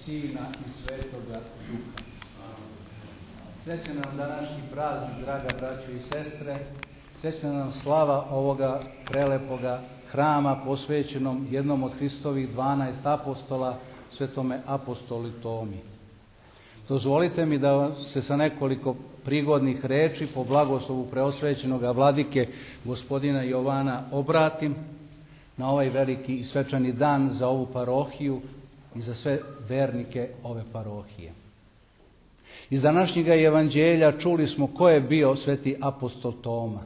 Sina i Svetoga Duha. Srećan nam današnji praznik, draga braćo i sestre. Srećna nam slava ovoga prelepoga hrama posvećenom jednom od Hristovih 12 apostola, svetome apostoli Tomi. Dozvolite mi da se sa nekoliko prigodnih reči po blagoslovu preosvećenog vladike gospodina Jovana obratim na ovaj veliki i svečani dan za ovu parohiju i za sve vernike ove parohije. Iz današnjega evanđelja čuli smo ko je bio sveti apostol Toma.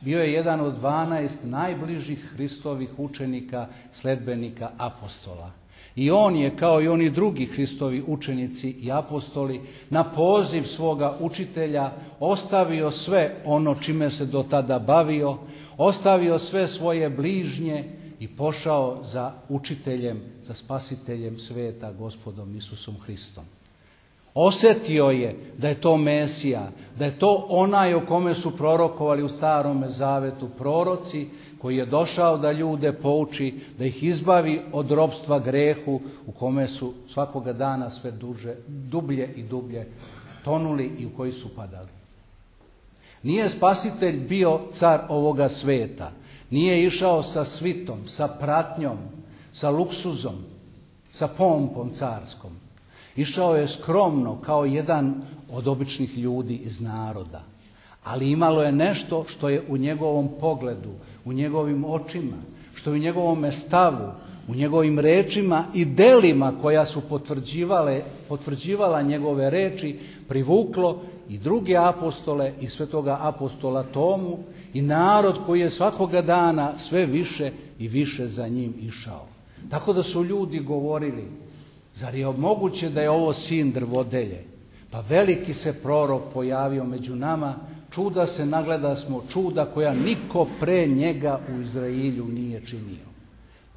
Bio je jedan od 12 najbližih Hristovih učenika, sledbenika apostola. I on je, kao i oni drugi Hristovi učenici i apostoli, na poziv svoga učitelja ostavio sve ono čime se do tada bavio, ostavio sve svoje bližnje i pošao za učiteljem, za spasiteljem sveta, gospodom Isusom Hristom. Osjetio je da je to Mesija, da je to onaj o kome su prorokovali u Starome Zavetu proroci, koji je došao da ljude pouči, da ih izbavi od ropstva grehu u kome su svakoga dana sve dublje i dublje tonuli i u koji su padali. Nije spasitelj bio car ovoga sveta, nije išao sa svitom, sa pratnjom, sa luksuzom, sa pompom carskom. Išao je skromno kao jedan od običnih ljudi iz naroda, ali imalo je nešto što je u njegovom pogledu, u njegovim očima, što je u njegovom stavu, u njegovim rečima i delima koja su potvrđivala njegove reči, privuklo i druge apostole i svetoga apostola Tomu i narod koji je svakoga dana sve više i više za njim išao. Tako da su ljudi govorili: zar je moguće da je ovo sin drvodelje? Pa veliki se prorok pojavio među nama, čuda se nagleda smo, čuda koja niko pre njega u Izraelju nije činio.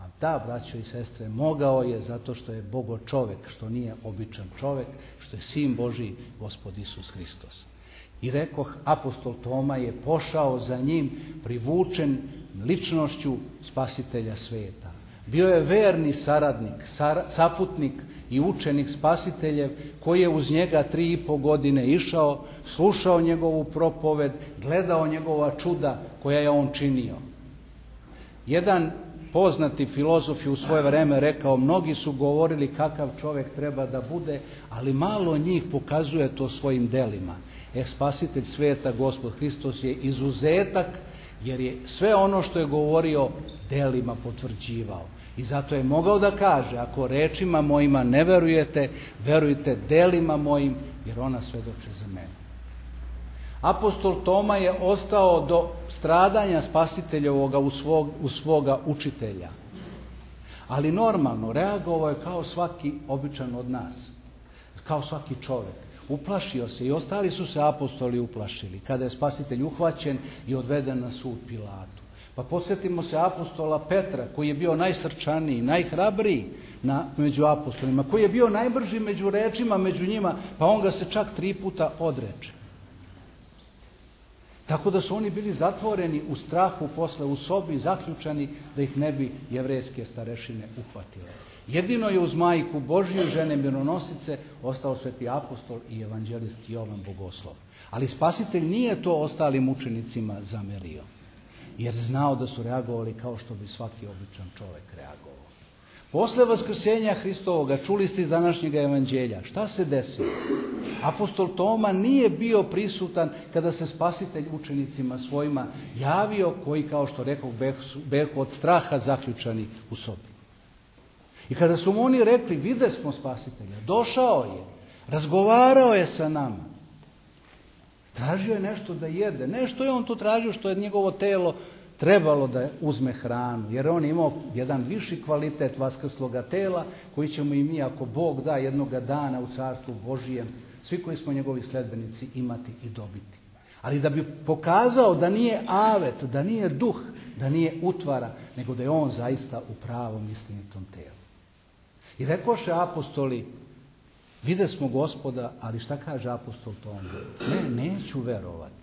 A da, braćo i sestre, mogao je zato što je Bogo čovek, što nije običan čovek, što je sin Božji, Gospod Isus Hristos. I rekoh, apostol Toma je pošao za njim, privučen ličnošću spasitelja sveta. Bio je verni saradnik, saputnik i učenik spasiteljev koji je uz njega 3,5 godine išao, slušao njegovu propoved, gledao njegova čuda koja je on činio. Jedan poznati filozof je u svoje vreme rekao: mnogi su govorili kakav čovjek treba da bude, ali malo njih pokazuje to svojim delima. Spasitelj sveta, Gospod Hristos, je izuzetak, jer je sve ono što je govorio delima potvrđivao. I zato je mogao da kaže: ako rečima mojima ne verujete, verujte delima mojim, jer ona svedoče za mene. Apostol Toma je ostao do stradanja spasiteljevoga u svoga učitelja. Ali normalno, reagovao je kao svaki običan od nas, kao svaki čovjek. Uplašio se i ostali su se apostoli uplašili kada je spasitelj uhvaćen i odveden na sud Pilatu. Pa podsjetimo se apostola Petra, koji je bio najsrčaniji, najhrabriji među apostolima, koji je bio najbrži među rečima među njima, pa on ga se čak 3 puta odreče. Tako da su oni bili zatvoreni u strahu, posle u sobi, zaključani da ih ne bi jevrejske starešine uhvatile. Jedino je uz majku Božju, žene mironosice, ostao sveti apostol i evanđelist Jovan Bogoslov. Ali spasitelj nije to ostalim učenicima zamerio, jer znao da su reagovali kao što bi svaki običan čovjek reagovao. Posle vaskrsenja Hristovoga, čuli ste iz današnjeg evanđelja, šta se desilo? Apostol Toma nije bio prisutan kada se spasitelj učenicima svojima javio, koji, kao što rekao, behu od straha zaključani u sobi. I kada su mu oni rekli: vide smo spasitelja, došao je, razgovarao je sa nama, tražio je nešto da jede, nešto je on to tražio što je njegovo telo trebalo da uzme hranu, jer on je imao jedan viši kvalitet vaskrsloga tela koji ćemo i mi, ako Bog da, jednoga dana u Carstvu Božijem, svi koji smo njegovi sledbenici, imati i dobiti. Ali da bi pokazao da nije avet, da nije duh, da nije utvara, nego da je on zaista u pravom istinitom telu. I rekoše apostoli: vide smo Gospoda, ali šta kaže apostol Toma? Neću verovati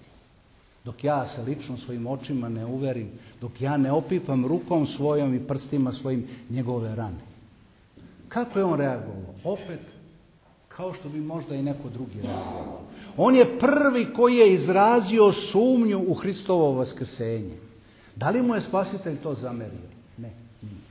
dok ja se lično svojim očima ne uverim, dok ja ne opipam rukom svojom i prstima svojim njegove rane. Kako je on reagovao? Opet, kao što bi možda i neko drugi reagovao. On je prvi koji je izrazio sumnju u Hristovo vaskrsenje. Da li mu je Spasitelj to zamerio? Ne, nije.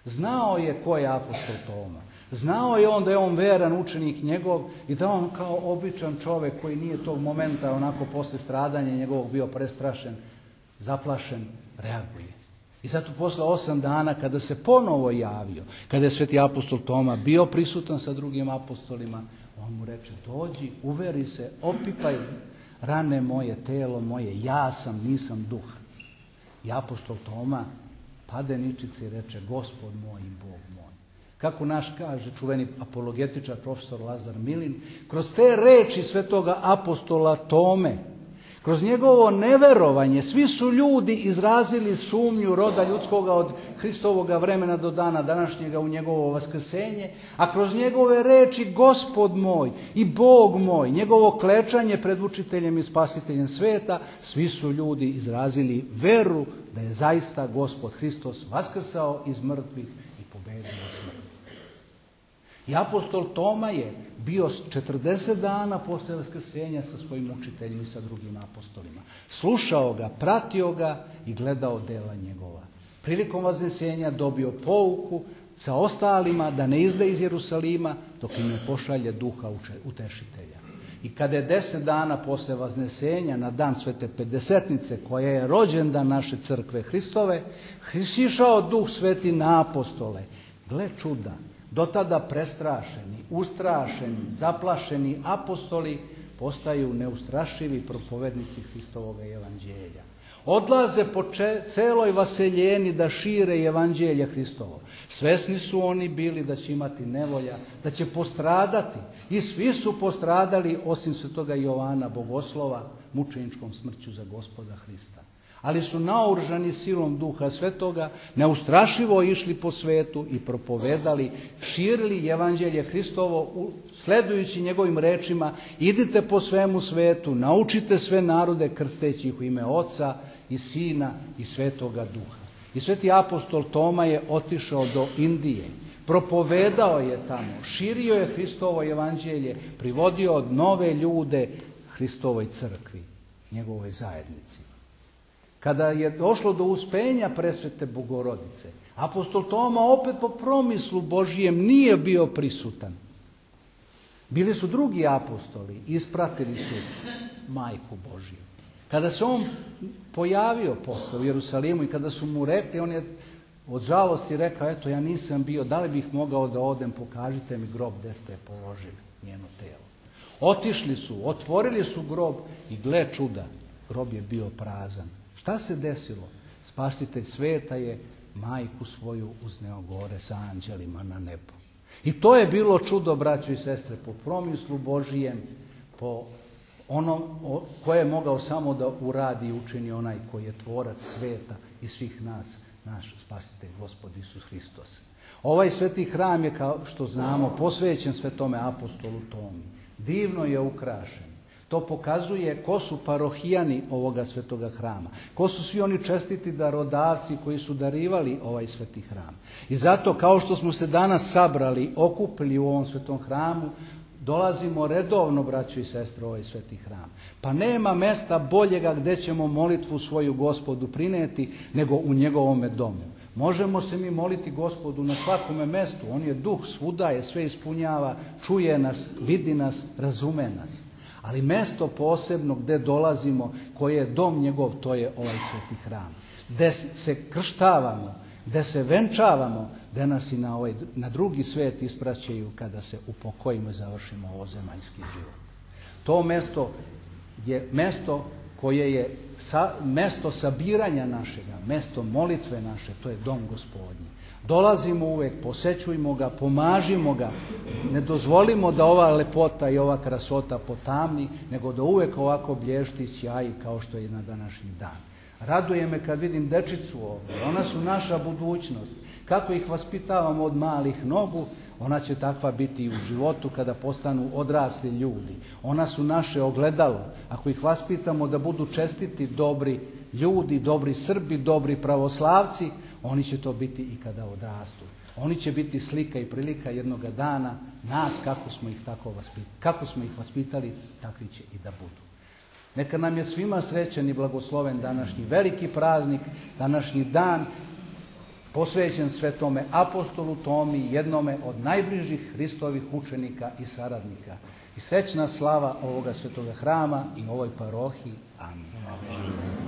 Znao je ko je apostol Toma. Znao je on da je on veran učenik njegov i da on kao običan čovjek koji nije tog momenta onako posle stradanja njegovog bio prestrašen, zaplašen, reaguje. I zato posle 8 dana kada se ponovo javio, kada je sveti apostol Toma bio prisutan sa drugim apostolima, on mu reče: dođi, uveri se, opipaj rane moje, telo moje, ja sam, nisam duh. I apostol Toma pade ničice i reče: Gospod moj i Bog moj. Kako naš kaže čuveni apologetičar profesor Lazar Milin, kroz te reči svetoga apostola Tome, kroz njegovo neverovanje, svi su ljudi izrazili sumnju roda ljudskoga od Hristovoga vremena do dana današnjega u njegovo vaskrsenje, a kroz njegove reči Gospod moj i Bog moj, njegovo klečanje pred učiteljem i spasiteljem sveta, svi su ljudi izrazili veru da je zaista Gospod Hristos vaskrsao iz mrtvih i pobedio smrt. I apostol Toma je bio 40 dana posle vaskrsenja sa svojim učiteljem i sa drugim apostolima. Slušao ga, pratio ga i gledao dela njegova. Prilikom vaskresenja dobio pouku sa ostalima da ne izde iz Jerusalima dok im ne pošalje duha utešitelja. I kada je 10 dana posle vaskresenja, na dan Svete Pedesetnice, koja je rođendan naše crkve Hristove, sišao Duh Sveti na apostole. Gle čuda! Do tada prestrašeni, ustrašeni, zaplašeni apostoli postaju neustrašivi propovednici Hristovog evanđelja. Odlaze po celoj vaseljeni da šire evanđelje Hristovo. Svesni su oni bili da će imati nevolja, da će postradati. I svi su postradali osim svetoga Jovana Bogoslova mučeničkom smrću za Gospoda Hrista. Ali su naoružani silom Duha Svetoga, neustrašivo išli po svetu i propovedali, širili evanđelje Hristovo, sledujući njegovim rečima: idite po svemu svetu, naučite sve narode krsteći ih u ime Oca i Sina i Svetoga Duha. I sveti apostol Toma je otišao do Indije, propovedao je tamo, širio je Hristovo evanđelje, privodio nove ljude Hristovoj crkvi, njegovoj zajednici. Kada je došlo do uspenja presvete Bogorodice, apostol Toma opet po promislu Božijem nije bio prisutan. Bili su drugi apostoli, ispratili su Majku Božiju. Kada se on pojavio posle u Jerusalimu i kada su mu rekli, on je od žalosti rekao: eto, ja nisam bio, da li bih mogao da odem, pokažite mi grob gde ste položili njeno telo. Otišli su, otvorili su grob i gle čuda, grob je bio prazan. Šta se desilo? Spasitelj sveta je majku svoju uzneo gore sa anđelima na nebo. I to je bilo čudo, braćo i sestre, po promislu Božijem, po onom koje je mogao samo da uradi i učini onaj koji je tvorac sveta i svih nas, naš Spasitelj Gospod Isus Hristos. Ovaj sveti hram je, kao što znamo, posvećen svetome apostolu Tomi. Divno je ukrašen. To pokazuje ko su parohijani ovoga svetoga hrama. Ko su svi oni čestiti darodavci koji su darivali ovaj sveti hram. I zato, kao što smo se danas sabrali, okupili u ovom svetom hramu, dolazimo redovno, braćo i sestre, u ovaj sveti hram. Pa nema mesta boljega gdje ćemo molitvu svoju Gospodu prineti nego u njegovome domu. Možemo se mi moliti Gospodu na svakome mestu. On je duh, svuda je, sve ispunjava, čuje nas, vidi nas, razume nas. Ali mesto posebno gdje dolazimo, koje je dom njegov, to je ovaj sveti hram. Gdje se krštavamo, gdje se venčavamo, gdje nas i na drugi svet ispraćaju kada se upokojimo i završimo ovozemaljski život. To mesto je mesto koje je mesto sabiranja našega, mesto molitve naše, to je dom Gospodnji. Dolazimo uvek, posećujmo ga, pomažimo ga, ne dozvolimo da ova lepota i ova krasota potamni, nego da uvek ovako blješti i sjaji kao što je na današnji dan. Raduje me kad vidim dečicu ovdje, ona su naša budućnost. Kako ih vaspitavamo od malih nogu, ona će takva biti i u životu kada postanu odrasli ljudi. Ona su naše ogledalo. Ako ih vaspitamo da budu čestiti, dobri ljudi, dobri Srbi, dobri pravoslavci, oni će to biti i kada odrastu. Oni će biti slika i prilika jednoga dana nas kako smo ih vaspitali, takvi će i da budu. Neka nam je svima srećan i blagosloven današnji veliki praznik, današnji dan posvećen svetome apostolu Tomi, jednome od najbližih Hristovih učenika i saradnika. I srećna slava ovoga svetoga hrama i ovoj parohiji. Amin.